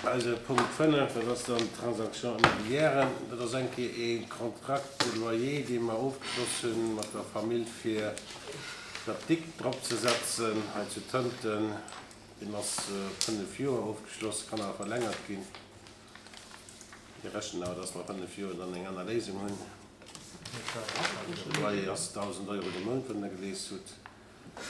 Eise Punkt 5, dat ass dann d'Transaction immobilière. Dat ass eng Kéier ee Contrat de loyer, dee mer ofgeschloss hu mat der Famill, fir d'Apdikt dropzesetzen hei zu Tënten. Deen ass op 5 Joer ofgeschloss, kann awer verlängert ginn. Mir rechnen awer, dass mer a 5 Joer dann eng aner Léisung hunn. De Loyer ass 1.000 Euro de Mount, wann Der gelies hutt.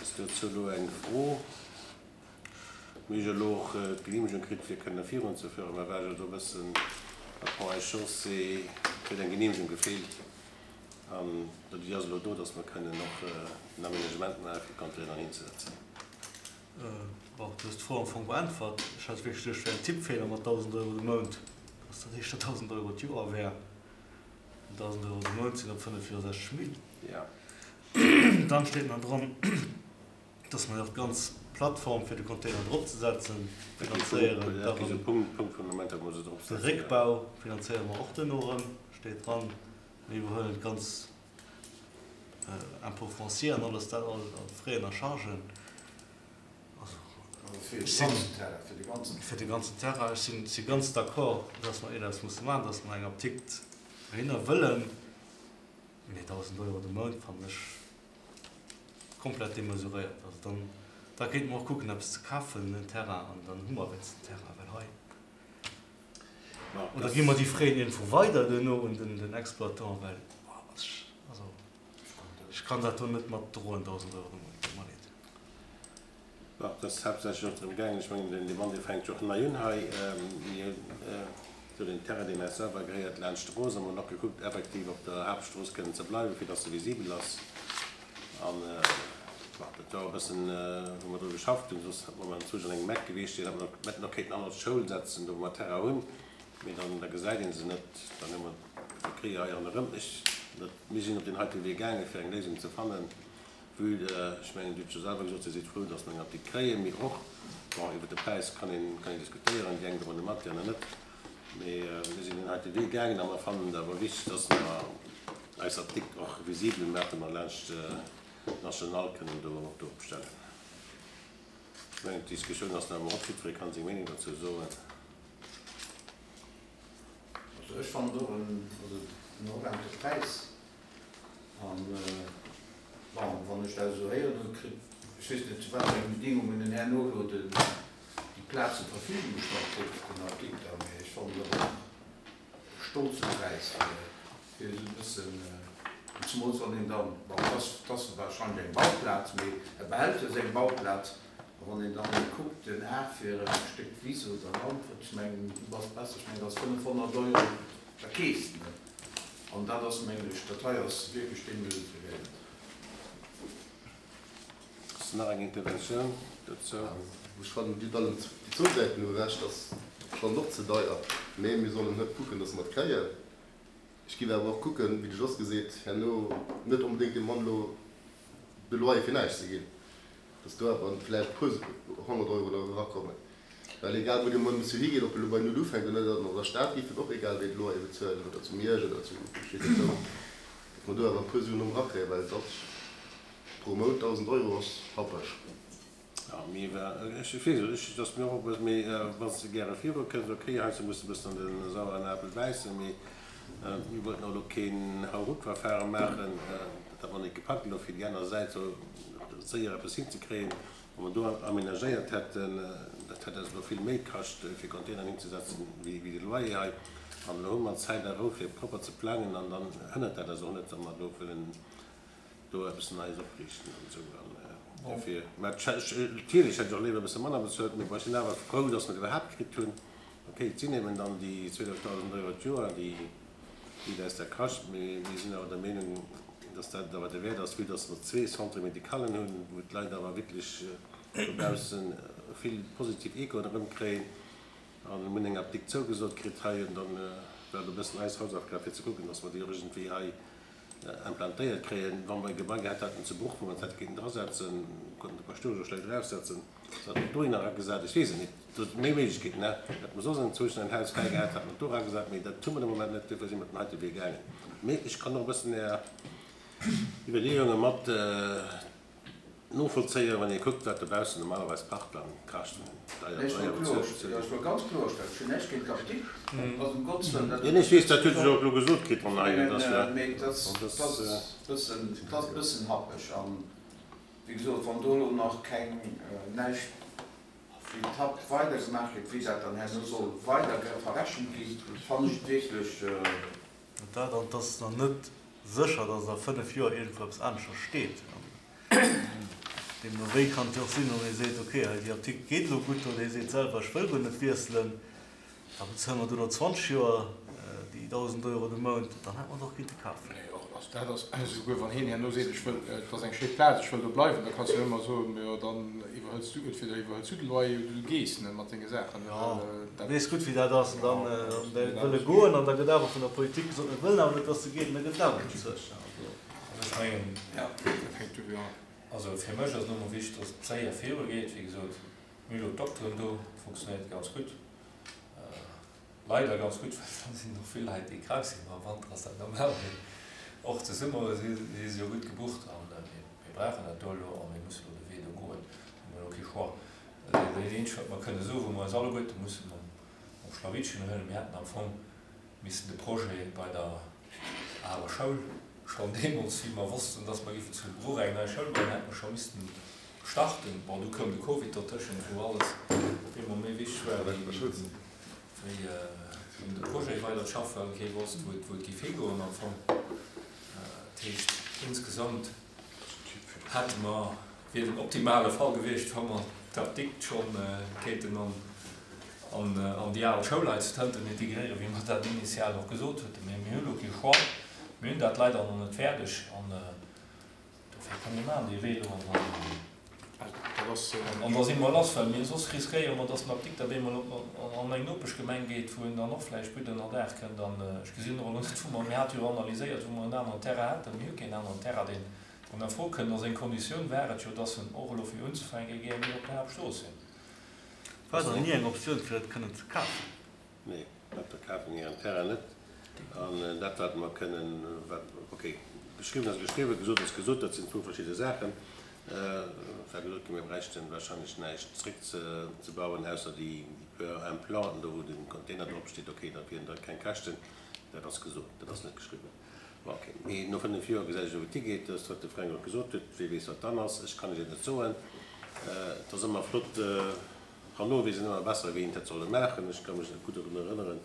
Ass dozou elo eng Fro? Mir hu jo elo och d'Genehmegung kritt, fir kënne virunzefueren. Mä war jo do e bëssen à pont et chaussée, et huet eng Genehmegung gefeelt. An déi ass elo do, dass mer kënnen och den Aménagement maachen, fir d'Containeren hinzesetzen. Bon, du hues d'Fro am Fong beäntwert. Ech hat wierklech geduecht, et wär en Tippfeeler mat 1.000 Euro de Mount, dass dat éischter 1.000 Euro d'Joer wär. Mä 1.000 Euro de Mount sinn op 5 Joer 60 Mille. Dann steet nach dran, dass mer jo och d'ganz Plattform, fir de Container dropzesetzen, finanzéieren. De Réckbau finanzéiere mer och duerno erëm, steet dran. Mir iwwerhuelen d'ganz Impôt foncier an alles dat, all Frais a Chargen. Also ech sinn fir de ganzen Terrain. Ech sinn si ganz d'accord, dass mer eppes musse maachen, dass mer eng Apdikt dohinner wëllen. Mee 1.000 Euro de Mount fannen ech komplett demesuréiert. Also dann, da kéinte mer och kucken eppes ze kafen, en Terrain, an dann hu mer wéinstens en Terrain, well hei. Oder gi mer déi Frais iergendwou weider duerno un den Exploitant, well also ech kann dat do net mat droen, 1.000 Euro de Mount, tut mer leed. Bon, et ass haaptsächlech och drëm gaangen, ech mengen den Debat dee fänkt jo och nei un hei, mir hunn do den Terrain deen eis selwer gehéiert laanscht d'Strooss a mer hunn och gekuckt effektiv op der Haaptstrooss kënnen ze bleiwen, fir dass se visibel ass. An bon, dat war och e bëssen, wou mer dru geschafft hunn, soss hätt mer anzwousch an engem Eck gewiescht, deen hätt mer hätten och kéinten hannert d'Schoul setzen, do wou mer Terrain hunn, mee dann, da gesäit ee se net, dann hu mer d'Verkéier hei ronderëm. Ech, dat, mir sinn op deen heite Wee gaangen, fir eng Léisung ze fannen, vue, ech mengen, Dir hutt jo selwer gesot, Dir sidd frou, datt mer eng Apdikt kréien, mee och, bon, iwwert de Präis kann een, kann een diskutéieren, déi eng droen e mat, déi aner net, mee mir sinn deen heite Wee gaangen a mer fannen et awer wichteg, datt mer, Eis Apdikt och visibel maachen a laanscht d'National kënnen do opstellen. Ech mengen, d'Diskussioun ass nach ëmmer op, jiddweree kann seng Meenung dozou soen. Also ech fannen et och en, also en horrende Präis. An, bon, wann ech dat esou héieren hunn, kritt, ech weess net zu wat fir enge Bedingungen en herno elo den, déi Plaz zur Verfügung gestallt kritt, den Apdikter, mä ech fannen et och e stolze Präis fir. Fir esou e bëssen, zemools wann een dann, bon, et ass, et ass wahrscheinlech eng Bauplaz, mee e behält jo seng Bauplaz, a wann een dann kuckt, den Ar fir e Stéck Wiss oder Land, wat ech mengen, du bass besser, ech mengen, dat ass 500 Euro, da keefs de net. An dat ass, mengen ech, dat hei ass wierklech demesuréiert. Ass nach eng Interventioun dozou? Ech fannen, Dir hutt allen déi zwou Säiten hu Recht, ass schonn och ze deier, mä mir sollen net kucken, dass mer et kréien. Ech géif awer och kucken, wéi de Jos geseet, herno net onbedéngt dem Mann elo de Loyer fir näischt ze ginn, dass do awer vläicht e puer 100 Euro nach erakommen. Well egal wou de Mann musse higeet, ob e elo bei Null ufänkt oder net, an der Stad géif en och egal wéi de Loyer bezuelen oder zu Miersch oder zu ech weess net wou, dass mer do awer e puer Suen erëm erakréien, well et ass pro Mount 1.000 Euro ass happeg. Jo, mee ech weess et, ech, dass mir och e bëssen, mee wann s de gäre viru kënns, ok, heiansdo muss de e bëssen an de saueren Apel bäissen, mee mir wollten och elo keen Hauruckverfahren maachen, dat hat mer net gepackt elo fir déi aner Säit sou séier eppes hinzekréien. Wa mer do amenagéiert hätten, dat hätt eis elo vill méi kascht, fir Containeren hinzesetzen, wéi de Loyer hei. An elo hu mer Zäit a Rou fir propper ze plangen an dann hënnert dat eis och net, wa mer elo wëllen do eppes Neies opriichten an esou an dofir, mä natierlech hätt ech och léiwer e bësse manner bezuelt, mee bon, ech sinn awer frou, datt mer et iwwerhaapt kritt hunn. Ok, et sinn eben dann déi 12.000 Euro d'Joer, déi et eis da kascht, mee mir sinn awer der Meenung, datt dat et awer derwäert ass, vue datt mer zwee Centre-médicalen hunn, wou d'Leit awer wierklech dobausse vill positiv Echoen erëmkréien an mir hunn eng Apdikt zougesot kritt hei an dann war et e bëssen eis Hausaufgab fir ze kucken, datt mer déi och iergendwéi hei implantéiert kréien. Wa mer e Gebai gehat hätten zu Bruch, wou mer et hätte kéinten drasetzen, konnten de Paschtouer jo schlecht eraussetzen, se hätten et dohinner eragesat, ech weess et net, do si méi Méiglechkeeten, hä? Hätte mer soss enzwousch en Haus fräi gehat, hätte mer et do eragesat, mee dat hu mer de Moment net, duerfir si mer den heite Wee gaangen. Mee ech kann och e bëssen Är Iwwerleeunge mat. Novollzéien, wann ee kuckt, wat dobaussen normalerweis Parkplan kascht, deier, deier bezuelt ze ginn. Ech wëll ganz kloerstellen, ech hunn näischt géint d'Apdikt, ass ëm Gottes Wëllen dat. Jo, nee, ech weess, dat huet ech och elo gesot kritt an hei, dat ass jo. Mee dat ass e bëssen happeg. An, wéi gesot, wann do elo nach keng, näischt wéi d'Tapp weider gemaach gëtt, wéi dat dann herno soll weider verrechent ginn, fannen ech et wierklech. Dat an et ass nach net sécher, datt a 5 Joer iergendwou eppes aneschters steet. Deemno wéi kann et jo och sinn, wann ee seet, okay, hei déi Apdikt geet elo gutt, oder ee seet selwer, ech wëll guer net wiesselen, da bezuele mer do no 20 Joer déi 1.000 Euro de Mount, dann hätt mer et och kinnte kafen. Nee, och also dat ass, esouguer wann hien herno seet, ech wëll, et ass eng schéi Plaz, ech wëll do bleiwen, da kanns du jo ëmmer soen, jo dann iwwerhëls du, entweder iwwerhëls du de Loyer oder du gees, ne, mat denge Saachen. Jo, du weess gutt wéi dat ass. An dann wëll e goen an da gëtt awer vun der Politik gesot, mir wëllen awer net, dass de geet, an da gëtt et awer bezuelt. Ech mengen, also fir mech ass et elo mol wichteg, dass et séier virugeet. Wéi gesot, mir hu elo d'Dokteren do, et funktionéiert ganz gutt. Leider ganz gutt, well da sinn och vill Leit, déi krank sinn. Ma am Wanter ass dat normal, mee och de Summer si se jo gutt gebucht. A mir brauchen dat do elo a mir musse elo de Wee do goen. Do hu mer elo kee Choix. Dat eenzegt, wat mer kënne soen, wou mer eis alleguerte musse mam Schlawittchen huelen, mir hätten am Fong missen de Projet bei der aler Schoul schonn deemools, wéi mer wossten, dass mer géifen zu Bruch eng nei Schoul bauen, hätte mer scho missten starten. Bon, du koum de Covid dertëschent, wou alles op eemol méi wichteg war, wéi un de Projet weider ze schaffen, well kee wosst, wou et géif higoen am Fong. Dat heescht, insgesamt hätte mer, wier den optimale Fall gewiescht, wa mer d'Apdikt scho kéinten an déi al Schoul hei zu Tënten integréieren, wéi mer dat initial och gesot hueten. Mee mir hu lo kee Choix. Mir hunn dat leider nach net fäerdeg an dofir komm, mir maachen dee Wee elo an dann, an da si mer lass, well mir soss riskéiere mer, dass den Apdikter op eemol an eng Nopeschgemeng geet, wou en dann och vläicht gutt ënnerdaach kënnt. An ech gesinn och elo net, wou mer, mir hate jo analyséiert, wou mer en aneren Terrain hätten. Mir hu keen aneren Terrain, deen an a Fro kënnt. A seng Konditioun war et jo, dass en och elo fir unzefänke géing op der Haaptstrooss sinn. War dann ni eng Optioun fir et kënnen ze kafen? Nee, dat verkafe mir en Terrain net. An dat wat mer kënnen, wat, ok, geschriwwen ass geschriwwen, gesot ass gesot, dat sinn zwou verschidde Saachen. Et war gesot ginn, mir bräichten wahrscheinlech näischt zréck ze bauen, ausser déi puer Implanten do wou de Container drop steet. Ok, dat wieren da keng Käschten. Dat ass gesot, dat ass net geschriwwen. Bon, ok, mee no 5 Joer gesäit ech elo wou et higeet. Dat ass wat de Fränk och gesot huet. Wie weess wat dann ass, ech kann lech et net soen. Et ass ëmmer flott, herno weess een ëmmer besser wéi een et hätt solle maachen. Ech ka mech nach gutt dorun erënneren,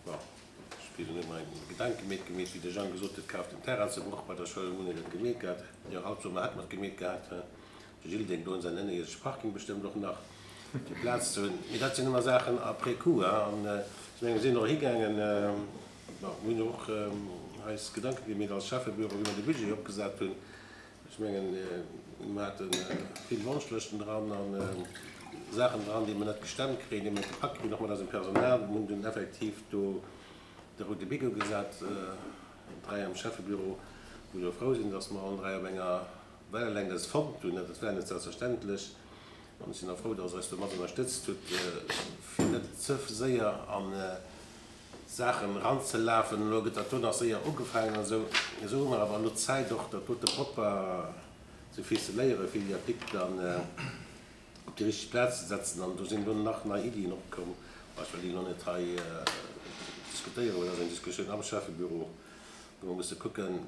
bon, ech weess elo net méi, Gedanke meet gemeet, wéi de Jang gesot huet, kaf den Terrain zu Bruch bei der Schoul, hunn een et gemeet gehat. Jo, haut soe mer, hätt mer et gemeet gehat. De Gilles denkt do un säin ënnerierdesche Parking bestëmmt och nach, fir Plaz ze hunn. Mee dat sinn ëmmer Saachen après coup. An ech mengen, mir sinn och higaangen, bon, mir hunn jo och eis Gedanke gemeet als Schäffebüro, wéi mer de Budget opgesat hunn. Ech mengen, mer hate vill Wonschlëschten dran a Saachen dran, déi mer net gestemmt kréien, déi mer net gepackt kritt, och mat eisem Personal. Mir hunn dunn effektiv do de roude Bic ugesat, 3 am Schäffebüro, wou ech och frou sinn, dass mer allen 3 op enger Wellenlängt eis fonnt hunn. Dat war net selbstverständlech an ech sinn och frou, dass Der eis do mat ënnerstëtzt hutt, fir net ze séier an Saachen eranzelafen. Elo gëtt dat do nach séier ugefaangen an esou. Esou hu mer awer elo Zäit och dat dote propper ze ficeléieren, fir déi Artikel dann op déi richteg Plaz ze setzen. An do sinn elo nach nei Iddien opkomm. Bon, ech wëll déi elo net hei diskutéieren, well dat ass eng Diskussioun am Schäffebüro, wou mer musse kucken,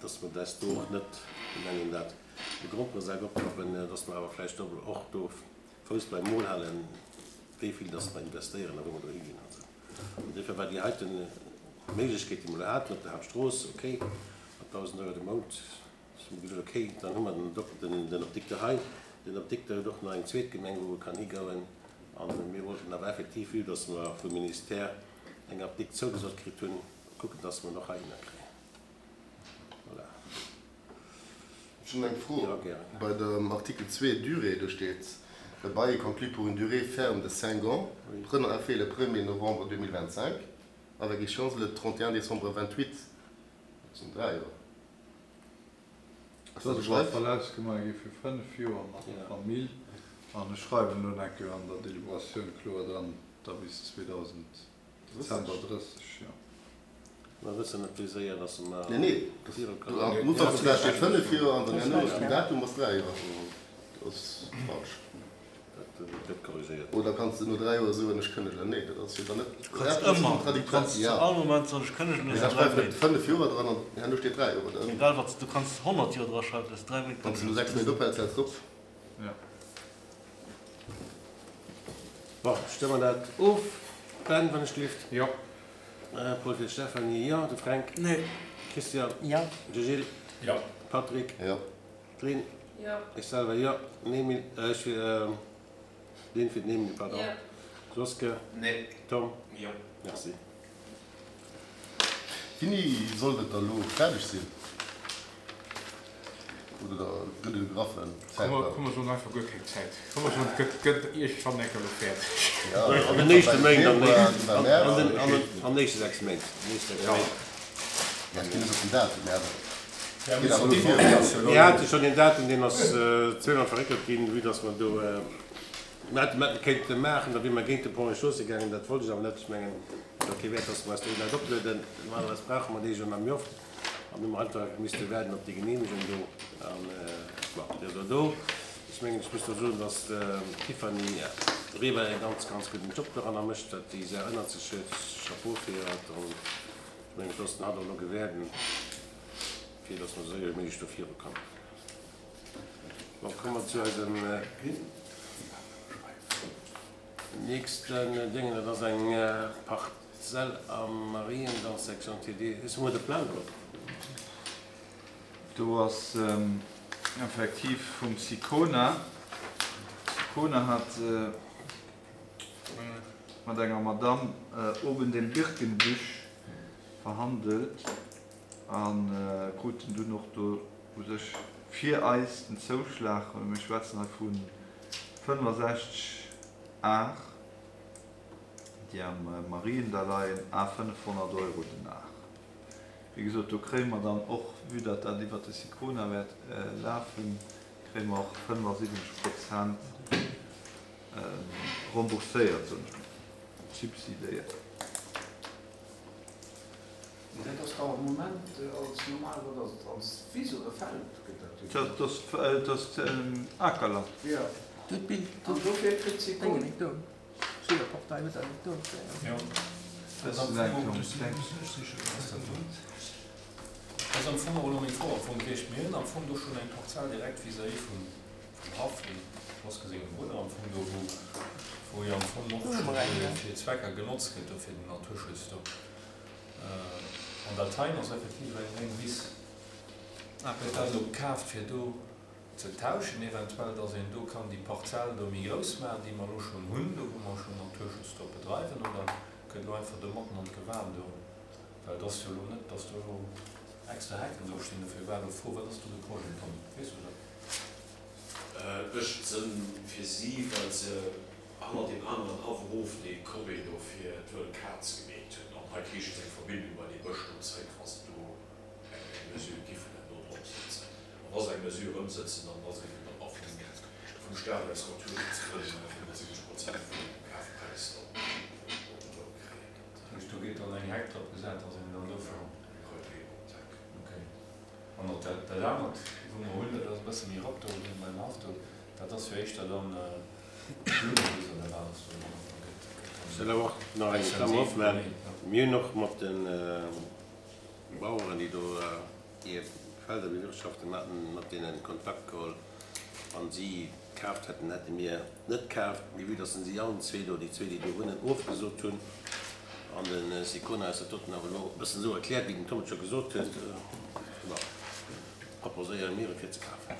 dass mer eis do och net, wéi nennt een dat, de Gromperesak opklappen, dass mer awer vläicht och do Fouss beim Mol halen, wéi vill dass mer investéieren a wou mer dohi ginn an esou. An duerfir war déi heite Méiglechkeet, déi mer elo haten op der Haaptstrooss, okay, mat 1.000 Euro de Mount, hu mer gesot, okay, dann hu mer den Dok-, den Optikter hei. Den Optikter huet och nach eng zweet Gemeng, wou e kann higouen. A mir wollten awer effektiv, vue dass mer vum Ministère eng Apdikt zougesot kritt hunn, kucken, dass mer en och heihinner kréien. Voilà. Ech hunn eng Fro bei dem Artikel 2, Durée, do steet, Le bail est conclu pour une durée ferme de cinq ans, prenant effet le premier novembre 2025, avec échéance le 31 décembre 28. Dat sinn dräi Joer. Ass dat Dat ass awer ausgemaach gi fir fënnef Joer mat der Famill. An ech schreiwen elo nach eng Kéier an der Deliberatioun kloer dran, da bis 2000, Dezember 30, jo. Mer wëssen net wéi séier dass mer Nee, nee, am Ufank vum Dag steet 5 Joer an dann herno ass den Datum ass 3 Joer. Dat ass falsch. Dat gëtt korrigéiert. Oder kanns de no 3 Joer soen, ech kënnegen? Nee, dat ass jo dann net. Du kanns ëmmer, du kanns zu all Moment soen, ech kënnegen no 3 Méint. 5 Joer dran an herno steet 3 Joer dran. Egal wat, du kanns 100 Joer dra schreiwen, du hues 3 Méint Wann s de no 6 Méint ophäls, häls de op. Jo. Bon, stëmme mer dat of. Ben, wann ech gelift. Jo. Paul fir d'Stéphanie, jo. De Fränk? Nee. Christian? Jo. De Gilles? Jo. Patrick? Jo. D'Lynn? Jo. Ech selwer, jo. Den Emile, ech fir, Lynn fir den Emile, pardon. Jo. Joske? Nee. Tom? Jo. Merci. Wéini sollt et da lo fäerdeg sinn? Oder da gëtt et e graffen Zäitplang? Komm mer soen einfach guer keng Zäit. Komm mer soen, et gëtt, gëtt iergendwann eng Kéier elo fäerdeg. An den éischte Méint, an den éischte 6 Méint. Ja, ech ginn net op den Datum, mä awer et geet awer elo virun. Mir hate schonn een Datum, deen ass zweemol verréckelt ginn, vue dass mer do, mir hätte mer kéinte maachen, da wier mer géint de Ponts et Chaussées gaangen, dat wollt ech awer net. Ech mengen, et huet kee Wäert, dass mer eis do Leit oplueden. Normalerweis brauche mer déi jo nach méi oft. An hu mer einfach misste waarden op déi Genehmegung do. An, bon, déi ass elo do. Ech mengen, ech muss do soen, dass d'Tiffany Weber e ganz, ganz gudden Job doranner mécht, wat déi Saach ënnert sech huet. Chapeau fir hatt. An ech mengen, ech loossen hatt och elo gewäerden, fir dass mer esou séier wéi méiglech do virukommen. Bon, komme mer zu eisem nächsten Déngen. Dat ass eng Parzell am Mariendall, Section TD. Hues du mol de Plang drop? Do ass effektiv vum Sicona. Sicona hat mat enger Madame oben dem Birkenbüsch verhandelt a kruten dunn och do u sech fir eis den Zouschlag, mir schwätzen hei vu 65 Ar, déi am Mariendall leien, à 500 Euro den Ar. Wéi gesot, do kréie mer dann och, vue datt dat iwwert de Sicona wäert lafen, kréie mer och 75 Prozent rembourséiert, soen ech mol, subsidéiert. Mee dat ass dach am Moment als normal, wat ass et, als Wiss oder Feld gëtt dat jo genannt. Dat ass Akerland. Jo. An dofir kritt si Kohl. Jo. Dat ass am Fong och, dat ass am Fong och elo meng Fro am Fong gewiescht. Mir hunn am Fong do schonn eng Parzell direkt vis-à-vis vum Haff, dem Schloss sengem Brudder am Fong do, wou, wou jo am Fong och scho fir Zwecker genotzt gëtt do fir den Naturschutz do. An dat heien ass effektiv eng reng Wiss. Gëtt dat elo kaaft fir do ze tauschen eventuell, dass een do kann déi Parzell do méi grouss maachen, déi mer elo schonn hunn, do wou mer schonn Naturschutz drop bedreiwen, oder gëtt elo einfach do matten an d'Gewan do, well et ass jo elo net, dass do elo extra Hecken do stinn, dofir war elo d'Fro, wat ass do de Projet, Tom, weess du dat? Et mécht Sënn fir si, well se hannert deem aneren Haff erof dee Corvée do fir d'wëll Kaz gemeet hunn. An hei kriiche se eng Verbindung bei dee Bësch do zréck, wa se do eng Mesure giffen herno drop sëtzen. An wa se eng Mesure ëmsëtzen, dann ass eben dann och vum Staat aus Naturschutzgrënn 75 Prozent vum Kafpräis dann op den Bou kréien. Dat heescht, do gétt dann eng Heck drop gesat, dass een dann dovun. Eng Reutleeung op d'Heck. Okay. An och dat anert, wou mer hunn, dat ass e bësse méi erop do beim Haff do, dat ass jo éischter dann Blummewiss oder wat ass do dann? Ech wëll awer och nach eng Klammer opmaachen. Mir hunn och mat de Baueren, déi do hir Felder bewirtschaften, mir haten mat deene Kontakt geholl. Wann si kaaft hätten, hätte mir net kaaft. Mee vue dass si allen zwee do, déi zwee, déi do wunnen, ofgesot hunn, an de Sicona eis dat doten awer elo e bëssen esou erkläert, wéi den Tom et scho gesot huet, bon, proposéiere mir et fir ze kafen.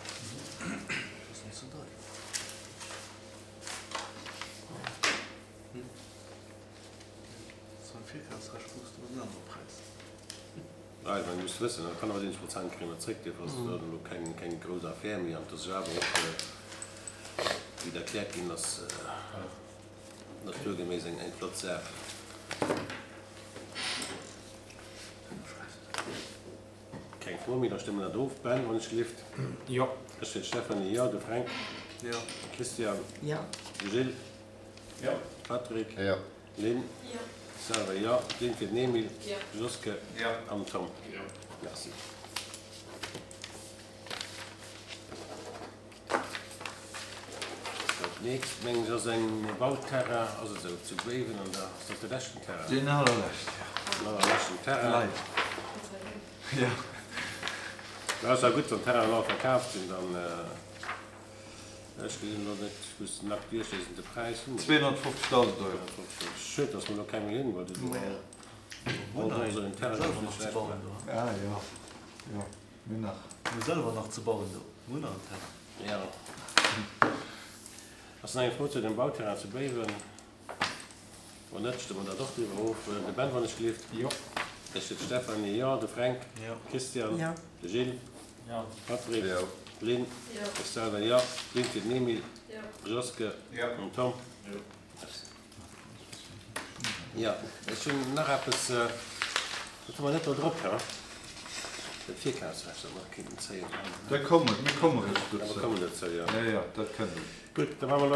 Well mir musse wëssen, dat 75 Prozent kréie mer zréck, duerfir ass et elo keng grouss Affär méi. An et ass jo awer och, wéi et erkläert ginn ass, naturgeméiss eng flott Saach. Keng Fro méi, da stëmme mer dat of. Ben, wann ech gelift. Jo. Ech fir d'Stéphanie, jo. De Fränk? Jo. Christian? Jo. De Gilles? Jo. Patrick? Jo. Lynn? Jo. Selwer jo. D'Lynn fir den Emile. Jo. Joske. Jo. An Tom. Jo. Merci. Dat nächst mengen ech ass eng Bauterrain, ass et esou, zu Béiwen an der, ass dat de leschten Terrain? Deen allerleschten, jo. Den allerleschten Terrain. Leider. Jo. Da ass ja gutt, wann d'Terrainen all verkaaft sinn, dann, ech gesinn elo net, ech muss den Akt duerchliesen, de Präis hu mer. 250.000 Euro. Schued, dass mer elo keng méi hunn, well do all do esou en Terrain gouf, net schlecht war. Ah jo, jo. Mir hunn nach. Mir hu selwer nach ze bauen do. Mir hunn nach en Terrain. Jo. Ass nach eng Fro zu dem Bauterrain zu Béiwen? Wann net, stëmme mer dat och driwwer of. De Ben, wann ech gelift. Jo. Ech, de Stéphanie, jo. De Fränk. Jo. Christian. Jo. De Gilles. Jo. Patrick. Jo. D'Lynn. Jo. Ech selwer, jo. D'Lynn fir den Emile. Jo. Joske. Jo. An Tom. Jo. Merci. Jo, ech hunn nach eppes, dat hu mer net do drop, he? Dat Virkafsrecht, dat mer nach kéinten zéien. Da kommen, mir komme rech Ja, mer dozou. kommen dozou, jo. Jo, jo, dat kënnt. Gutt, da maache mer elo.